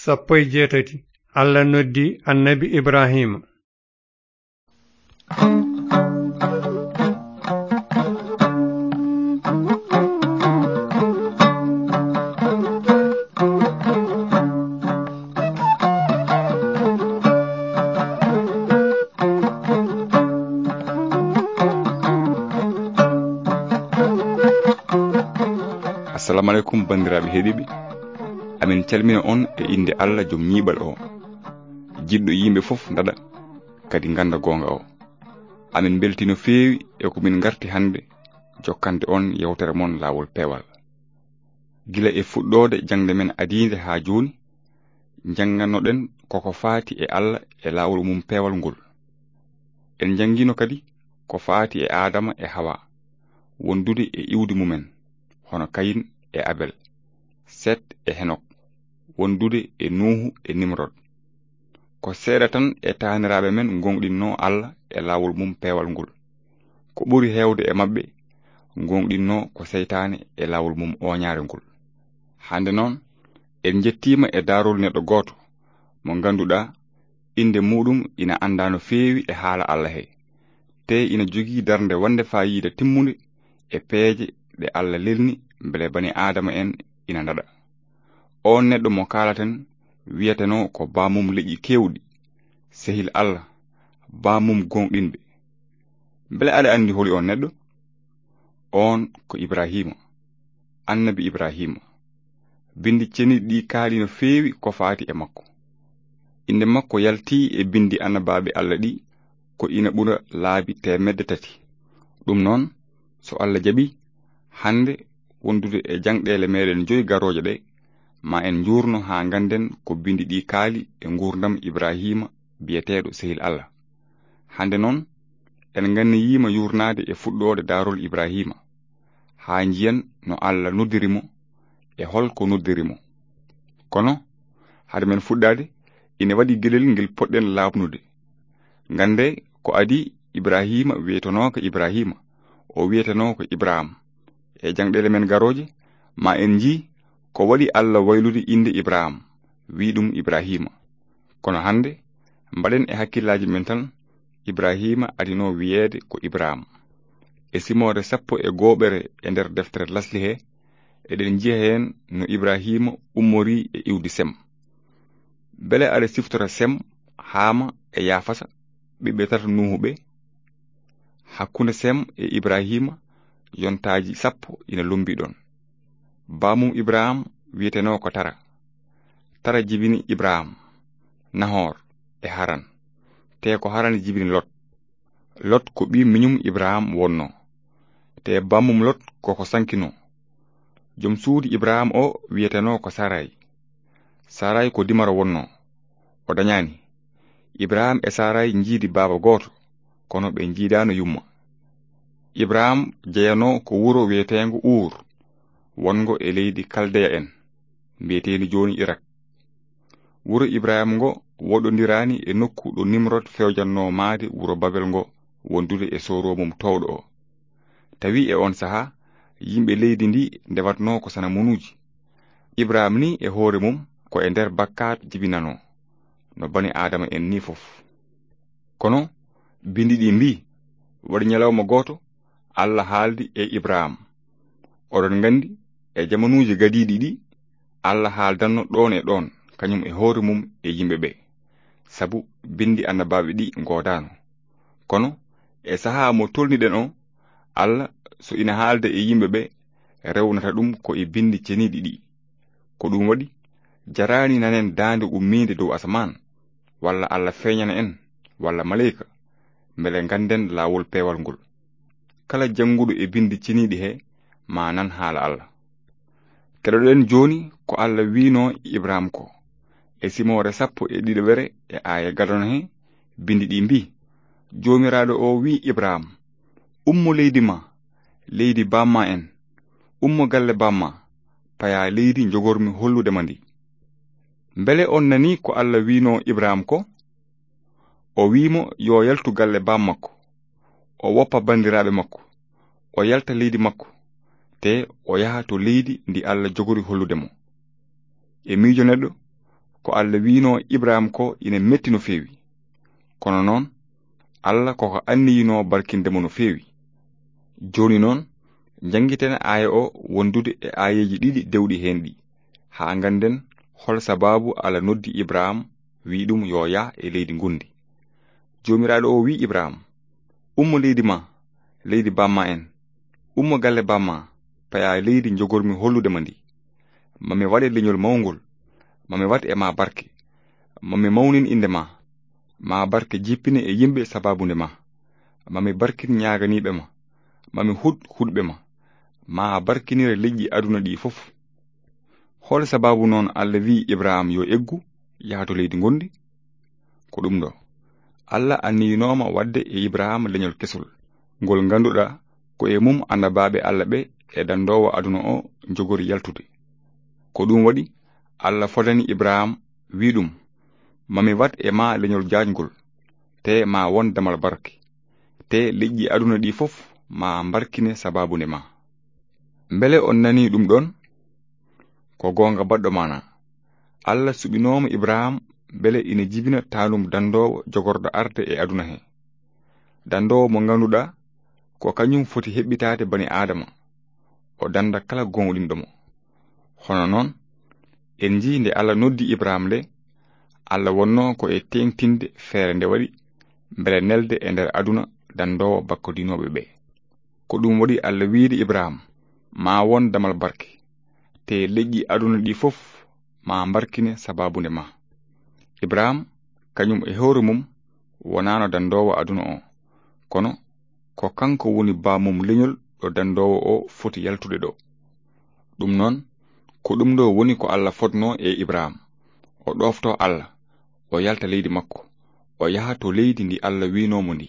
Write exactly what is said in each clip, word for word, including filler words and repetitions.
Sappo e jeetati. Allah noddi annabi Ibrahima. Assalamu aleykum, banndiraaɓe heɗiiɓe. Amin calmina on e innde Allah, jom ñiiɓal o, jiɗɗo yimɓe fof ndaɗa, kadi ngannda goonga o. Amin mbeltii no feewi e ko min ngarti hannde jokkande on yewtere mon Laawol Peewal. Gila e fuɗɗoode jaŋde men adiinde haa jooni, njanngannoɗen koko faati e Allah e laawol mum peewal ngol. En njanngiino kadi ko faati e Aadama e Hawa, wondude e iwdi mumen, hono Kayin e Abel, Set e Henok, wondude e Nuuhu e Nimrod. Ko seeɗa tan e taaniraaɓe men ngooŋɗinnoo Allah e laawol mum peewal ngol. Ko ɓuri heewde e maɓɓe ngooŋɗinnoo ko seytaane e laawol mum ooñaare ngol. Hannde noon, en njettiima e daarol neɗɗo gooto mo ngannduɗaa innde muuɗum ina anndaa no feewi e haala Allah he, tee ina jogii darnde waɗnde faayiida timmunde e peeje ɗe Allah lelni mbele bani Aadama en ina ndaɗa. Oon neɗɗo mo kaalaten wiyetenoo ko baamum leƴƴi keewɗi, sehil Allah, baamum gooŋɗinɓe. Mbele aɗa anndi holi oon neɗɗo? Oon ko Ibraahiima, annabi Ibraahiima. Binndi ceniiɗi ɗi kaali no feewi ko faati e makko. Innde makko yaltii e binndi annabaaɓe Allah ɗi ko ina ɓura laabi teemedde tati. Ɗum noon, so Allah jaɓii, hannde wondude e jaŋɗeele meeɗen joyi garooje ɗe, ma en njuurno haa ngannden ko binndi ɗi kaali e nguurndam Ibraahiima biyeteeɗo sehil Allah. Hannde noon, en nganniyiima yuurnaade e fuɗɗoode daarol Ibraahiima, haa njiyen no Allah noddiri mo e hol ko noddiri mo. Kono, hade men fuɗɗaade, ina waɗi geɗel ngel poɗɗen laaɓnude. Nganndee ko adii Ibraahiima wiyetenooka Ibraahiima, o wiyetenooka Ibraam. E jaŋɗeele men garooje, ma en njii ko waɗi Allah waylude innde Ibraam, wii ɗum Ibraahiima. Kono hannde, mbaɗen e hakkillaaji men tan, Ibraahiima adinoo wiyeede ko Ibraam. E simoore sappo e gooɓere e nder deftere Lasli he, eɗen njiya heen no Ibraahiima ummorii e iwdi Sem. Mbele aɗa siftora Sem, Haama e Yaafasa, ɓiɓɓe tata Nuuhu ɓe? Hakkunde Sem e Ibraahiima, yontaaji sappo ina lombii ɗoon. Baamum Ibraam wiyetenoo ko Tara. Tara jibini Ibraam, Nahor e Haran. Tee ko Haran jibini Lot. Lot ko ɓii miñum Ibraam wonnoo. Tee bammum Lot ko ko sankinoo. Jom suudu Ibraam o wiyetenoo ko Saray. Saray ko dimaro wonnoo. O dañaani. Ibraam e Saray njiidi baaba gooto, kono ɓe njiidaano yumma. Ibraam jeyanoo ko wuro wiyeteengo Uur, wonngo e leydi Kaldeya en, mbiyeteendi jooni Irak. Wuro Ibraam ngo woɗɗondiraani e nokku ɗo Nimrod fewjannoo maayde wuro Babel ngo wondude e sooroo mum toowɗo o. Tawi e oon sahaa, yimɓe leydi ndi ndewatnoo ko sanamunuuji. Ibraam ni e hoore mum ko e nder bakkaat jibinanoo, no bani Aadama en ni fof. Kono binndi ɗi mbii, waɗi ñalawma gooto, Allah haaldi e Ibraam. Oɗon nganndi, e jamanuuji gadiiɗi ɗi, Allah haaldanno ɗoon e ɗoon, kañum e hoore mum e yimɓe ɓe. Sabu binndi annabaaɓe ɗi ngoodaano. Kono e sahaa mo tolniɗen o, Allah so ina haalda e yimɓe ɓe, rewnata ɗum ko e binndi ceniiɗi ɗi. Ko ɗum waɗi, jaraani nanen daande ummiinde dow asamaan, walla Allah feeñana en, walla maleyka, mbele ngannden laawol peewal ngol. Kala jannguɗo e binndi ceniiɗi he, ma nan haala Allah. Keɗoɗen jooni ko Allah wiinoo Ibraam ko. E simoore sappo e ɗiɗaɓere e aaya gadano he, binndi ɗi mbii, Joomiraaɗo o wii Ibraam, "Ummo leydi ma, leydi bamma en, ummo galle bamma, paya leydi njogormi hollude ma ndi." Mbele on nanii ko Allah wiinoo Ibraam ko? O wii mo yo yaltu galle bammakko, o woppa banndiraaɓe makko, o yalta leydi makko, te o yaha to leydi ndi Allah jogori hollude mo. E miijo neɗɗo, Ko Alla wi'unoo Ibrahim ko ina metti no feewi. Kono noon, Alla ko ko anniyunoo barkinde mo no feewi. Jooni noon, njanngiten aaya o wondude e aayeeji ɗiɗi dewɗi heen ɗi, haa ngannden hol sabaabu Alla noddi Ibrahim, wi'i ɗum yo yah e leydi ngonndi. Joomiraaɗo o wi'i Ibrahim, "Ummo leydi ma, leydi bamma en. Ummo galle bamma, paya leydi njogormi hollude ma ndi. Ma mi waɗe leñol mawngol, ma mi waɗ e ma barke. Ma mi mawnin innde ma, ma barke jippine e yimɓe sabaabu nde ma. Ma mi barkin ñaaganiiɓe ma, ma mi huɗ huɗɓe ma. Ma barkinire leƴƴi aduna ɗi fof." Hol sabaabu noon Alla wi'i Ibrahim yo eggu, yaha to leydi ngonndi? Ko ɗum ɗo, Alla anniyunooma waɗde e Ibrahim leñol kesol, ngol ngannduɗaa ko e mum annabaaɓe Alla ɓe e dandoowo aduna o njogori yaltude. Ko ɗum waɗi Alla fodani Ibrahim, wi'i ɗum, "Ma mi waɗ e ma leñol jaajngol, te ma won damal barke, te leƴƴi aduna ɗi fof ma mbarkine sabaabu nde ma." Mbele on nanii ɗum ɗoon? Ko goonga baɗɗo maana. Alla suɓinooma Ibrahim mbele ina jibina taanum dandoowo jogorɗo arde e aduna he. Dandoowo mo ngannduɗaa ko kañum foti heɓɓitaade bani Aadama, o danda kala gooŋɗinɗo mo. Hono noon, en njii nde Alla noddi Ibrahim nde, Alla wonnoo ko e teeŋtinde feere nde waɗi mbele nelde e nder aduna dandoowo bakkodinooɓe ɓe. Ko ɗum waɗi Alla wi'de Ibrahim, "Ma won damal barke, te leƴƴi aduna ɗi fof ma mbarkine sabaabu nde ma." Ibrahim, kañum e hoore mum, wonaano dandoowo aduna o, kono ko kanko woni baamum leñol ɗo dandoowo o foti yaltude ɗo. Ɗum noon, ko ɗum ɗo woni ko Alla fodnoo e Ibrahim. O ɗoofto Alla, o yalta leydi makko, o yaha to leydi ndi Alla wi'noo mo ndi.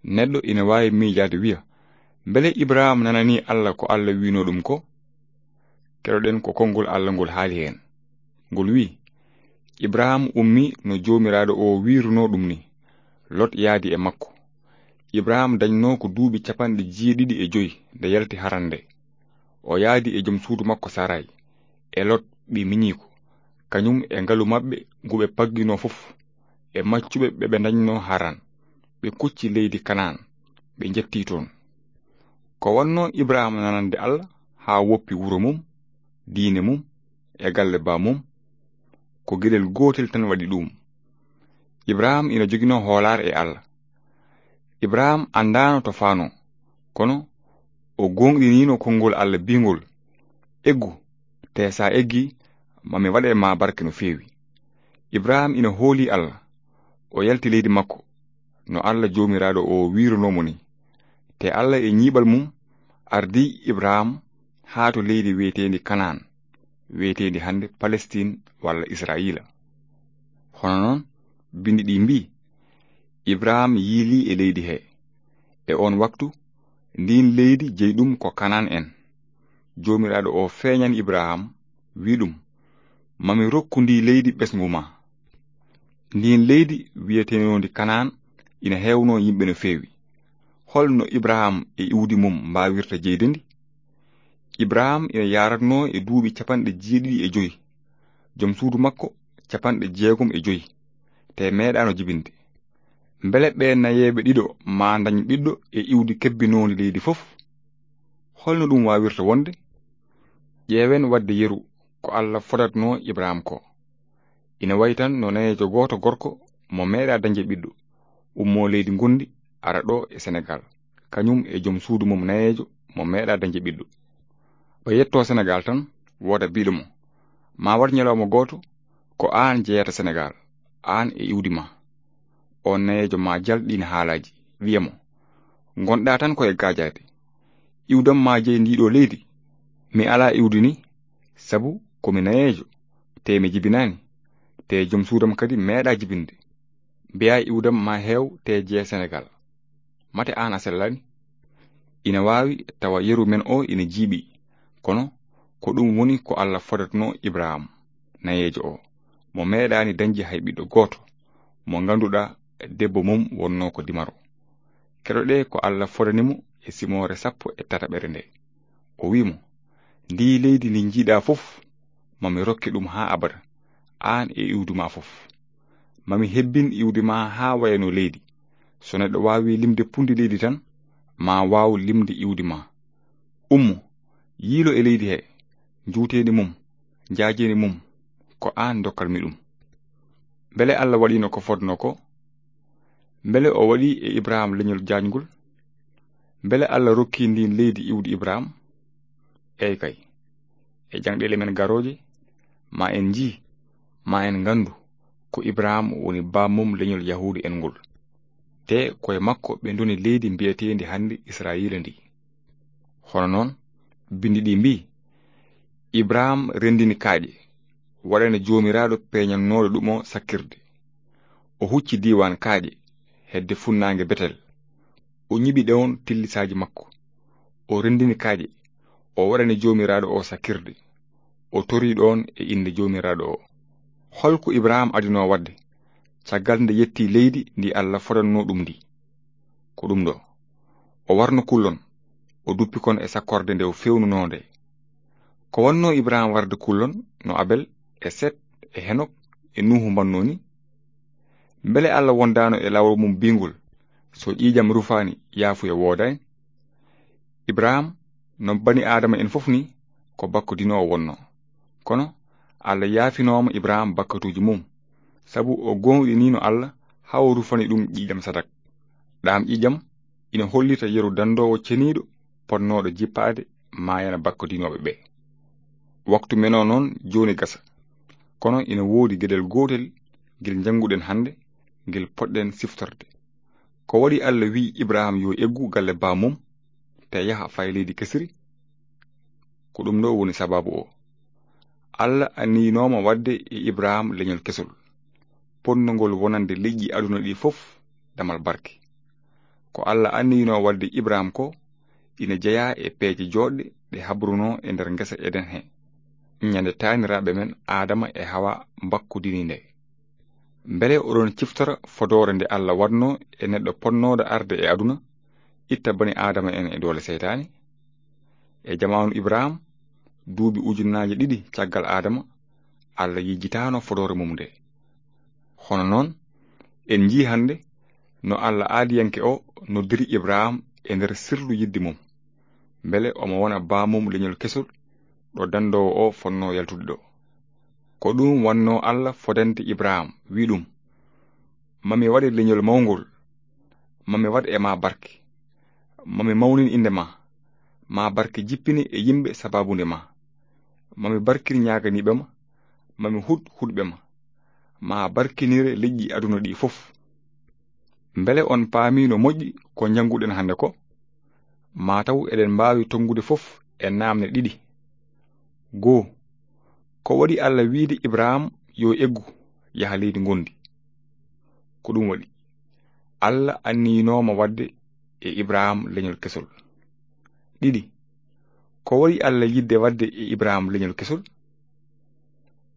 Neɗɗo ina waawi miijaade wi'a, "Mbele Ibrahim nananii Alla ko Alla wi'noo ɗum ko?" Keɗoɗen ko konngol Alla ngol haali heen. Ngol wi'i, "Ibrahim ummii no Joomiraaɗo o wi'runoo ɗum ni. Lot yaadi e makko." Ibrahim dañnoo ko duuɓi capanɗe jeeɗiɗi e joy nde yalti Haran nde. O yaadi e jom suudu makko Saray, e Lot ɓii miñiiko, kañum e ngalu maɓɓe ngu ɓe pagginoo fof, e maccuɓe ɓe ɓe ndañnoo Haran. Ɓe kucci leydi Kanaan, ɓe njettii toon. Ko wonnoo Ibrahim nanande Alla haa woppi wuro mum, diine mum, e galle baamum, ko geɗel gootel tan waɗi ɗum. Ibrahim ina joginoo hoolaare e Alla. Ibrahim anndaano to faanoo, kono o gooŋɗiniino konngol Alla biingol, "Eggu, te so a eggii, ma mi waɗe ma barke no feewi." Ibrahim ina hoolii Alla, o yalti leydi makko, no Alla Joomiraaɗo o wi'runoo mo ni. Te Alla e ñiiɓal mum ardii Ibrahim haa to leydi wi'eteendi Kanaan, wi'eteendi hannde Palestiin walla Israayiila. Hono noon, binndi ɗi mbii, "Ibrahim yiilii e leydi he." E oon waktu, ndiin leydi jeyi ɗum ko Kanaan en. Joomiraaɗo o feeñani Ibrahim, wi'i ɗum, "Ma mi rokku ndi leydi ɓesngu ma." Ndiin leydi wi'eteendi Kanaan ina heewnoo yimɓe no feewi. Hol no Ibrahim e iwdi mum mbaawirta jeyde ndi? Ibrahim ina yaaratnoo e duuɓi capanɗe jeeɗiɗi e joy, jom suudu makko capanɗe jeegom e joy, te meeɗaano jibinde. Mbele ɓee nayeeɓe ɗiɗo maa ndañ ɓiɗɗo e iwdi kebbinoondi leydi fof? Hol no ɗum waawirta wonde? Ƴeewen waɗde yeru ko Alla fodatnoo Ibrahim ko. Ina wayi tan no nayeejo gooto gorko mo meeɗaa dañde ɓiɗɗo, ummoo leydi ngonndi, ara ɗo e Senegaal, kañum e jom suudu mum nayeejo mo meeɗaa dañde ɓiɗɗo. O yettoo Senegaal tan, wooda biiɗo mo, "Ma waɗ ñalawma gooto, ko aan jeyata Senegaal, aan e iwdi ma." Oon nayeejo ma jal ɗiin haalaaji, wiya mo, "Ngonɗaa tan ko e gaajaade. Iwdam ma jeyi ndii ɗoo leydi. Mi alaa iwdi ni, sabu ko mi nayeejo, te mi jibinaani, te jom suudam kadi meeɗaa jibinde. Mbiyaa iwdam ma heew te jeya Senegaal. Mate aan a sellaani?" Ina waawi tawa yeru men o ina jiiɓi, kono ko ɗum woni ko Alla fodatnoo Ibrahim, nayeejo o, mo meeɗaani dañde hay ɓiɗɗo gooto, mo ngannduɗaa debbo mum wonnoo ko dimaro. Keɗoɗee ko Alla fodani mo e simoore sappo e tataɓere nde. O wi'i mo, "Ndii leydi ndi njiiɗaa fof, ma mi rokke ɗum haa abada, aan e iwdi ma fof. Ma mi hebbin iwdi ma haa wayano leydi. So neɗɗo waawi limde pundi leydi tan, ma waaw limde iwdi ma. Ummo, yiilo e leydi he, njuuteendi mum, njaajeeni mum, ko aan ndokkat mi ɗum. Mbele Allah waɗiino ko fotnoo ko? Mbele o waɗi e Ibrahim leñol jaajngol? Mbele Allah rokki ndiin leydi iwdi Ibrahim? Eey kay. E jaŋɗeele men garooje, ma en njii, ma en nganndu ko Ibrahim woni baammum leñol Yahuudu en ngol. Te ko e makko ɓe ndoni leydi mbiyeteendi hannde Israayiila ndi. Hono noon, binndi ɗi mbii, Ibrahim renndini kaaƴe, waɗani Joomiraaɗo peeñannooɗo ɗum o sakkirde. O hucci diiwaan kaaƴe, hedde funnaange Betel. O ñiɓi ɗoon tillisaaji makko. O renndini kaaƴe, o waɗani Joomiraaɗo o sakkirde. O torii ɗoon e innde Joomiraaɗo o. Hol ko Ibrahim adinoo waɗde, caggal nde yetti leydi ndi Allah fodannoo ɗum ndi? Ko ɗum ɗo. O warno kullon, o duppi kon e sakkorde nde o feewnunoo nde. Ko wonnoo Ibrahim warde kullon no Abel e Set e Henok e Nuuhu mbannoo ni? Mbele Allah wondaano e laawol mum bingol, so ƴiiƴam rufaani, yaafuya woodaani? Ibrahim, no bani Aadama en fof ni, ko bakkodinoowo wonnoo. Kono Allah yaafinooma Ibrahim bakkatuuji mum, sabu o gooŋɗiniino Allah haa o rufani ɗum ƴiiƴam sadak. Ɗaam ƴiiƴam ina hollita yeru dandoowo ceniiɗo potnooɗo jippaade maayana bakkodinooɓe ɓe. Waktu men o noon jooni gasa, kono ina woodi geɗel gootel ngel njannguɗen hannde, ngel potɗen siftorde. Ko waɗi Allah wi'i Ibrahim yo eggu galle bammum, te yaha fay leydi kesiri? Ko ɗum ɗo woni sababu o. Allah anniyinooma waɗde e Ibrahim leñol kesol, potnongol wonande leƴƴi aduna ɗi fof damal barke. Ko Allah anniyinoo waɗde Ibrahim ko ina jeyaa e peeje jooɗɗe ɗe habrunoo e nder ngesa Eden he, ñande taaniraaɓe men Aadama e Hawa mbakkodini nde. Mbele oɗon ciftora fodoore nde Allah waɗnoo e neɗɗo potnooɗo arde e aduna, itta bani Aadama en e doole seytaane? E jamaanu Ibrahim, duuɓi ujunnaaje ɗiɗi caggal Aadama, Allah yejjitaano fodoore mum nde. Hono noon, en njii hannde no Allah aadiyanke o noddiri Ibrahim e nder sirlu yidde mum, mbele omo wona bammum leñol kesol ɗo dandoowo o fonnoo yaltude ɗo. Ko ɗum wannoo Allah fodande Ibrahim, wi ɗum, "Ma mi waɗe leñol mawngol, ma mi waɗ e ma barke, ma mi mawnin innde ma, ma barke jippine e yimɓe sababunde ma, ma mi barkin ñaaganiiɓe ma, ma mi huɗ huɗɓe ma, ma barkinire leƴƴi aduna ɗi fof." Mbele on paami no moƴƴi ko njannguɗen hannde ko? Maa taw eɗen mbaawi tonngude fof e naamne ɗiɗi. Goo, ko waɗi Allah wiide Ibrahim yo eggu yaha leydi ngondi? Ko ɗum waɗi. Allah anniyinooma waɗde e Ibrahim leñol kesol. Ɗiɗi, ko waɗi Allah yiɗde waɗde e Ibrahim leñol kesol?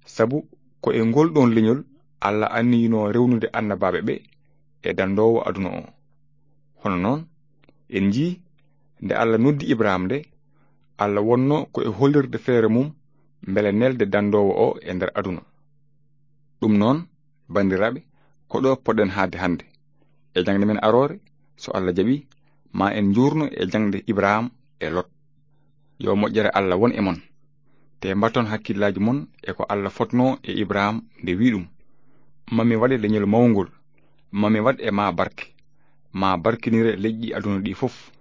Sabu ko e ngol ɗoon leñol Allah anniyinoo rewnude annabaaɓe ɓe e dandoowo aduna o. Hono noon, en njii nde Allah noddi Ibrahim nde, Allah wonnoo ko e hollirde feere mum mbele nelde dandoowo o e nder aduna. Ɗum noon, banndiraaɓe, ko ɗo poɗɗen haaɗde hannde. E jaŋde men aroore, so Allah jaɓi, ma en njuurno e jaŋde Ibrahim e Lot. Yo moƴƴere Allah won e mon. Te mbatton hakkillaaji mon e ko Allah fotnoo e Ibrahim nde wi ɗum, "Ma mi waɗe leñol mawngol, ma mi waɗ e ma barke, ma barkinire leƴƴi aduna ɗi fof."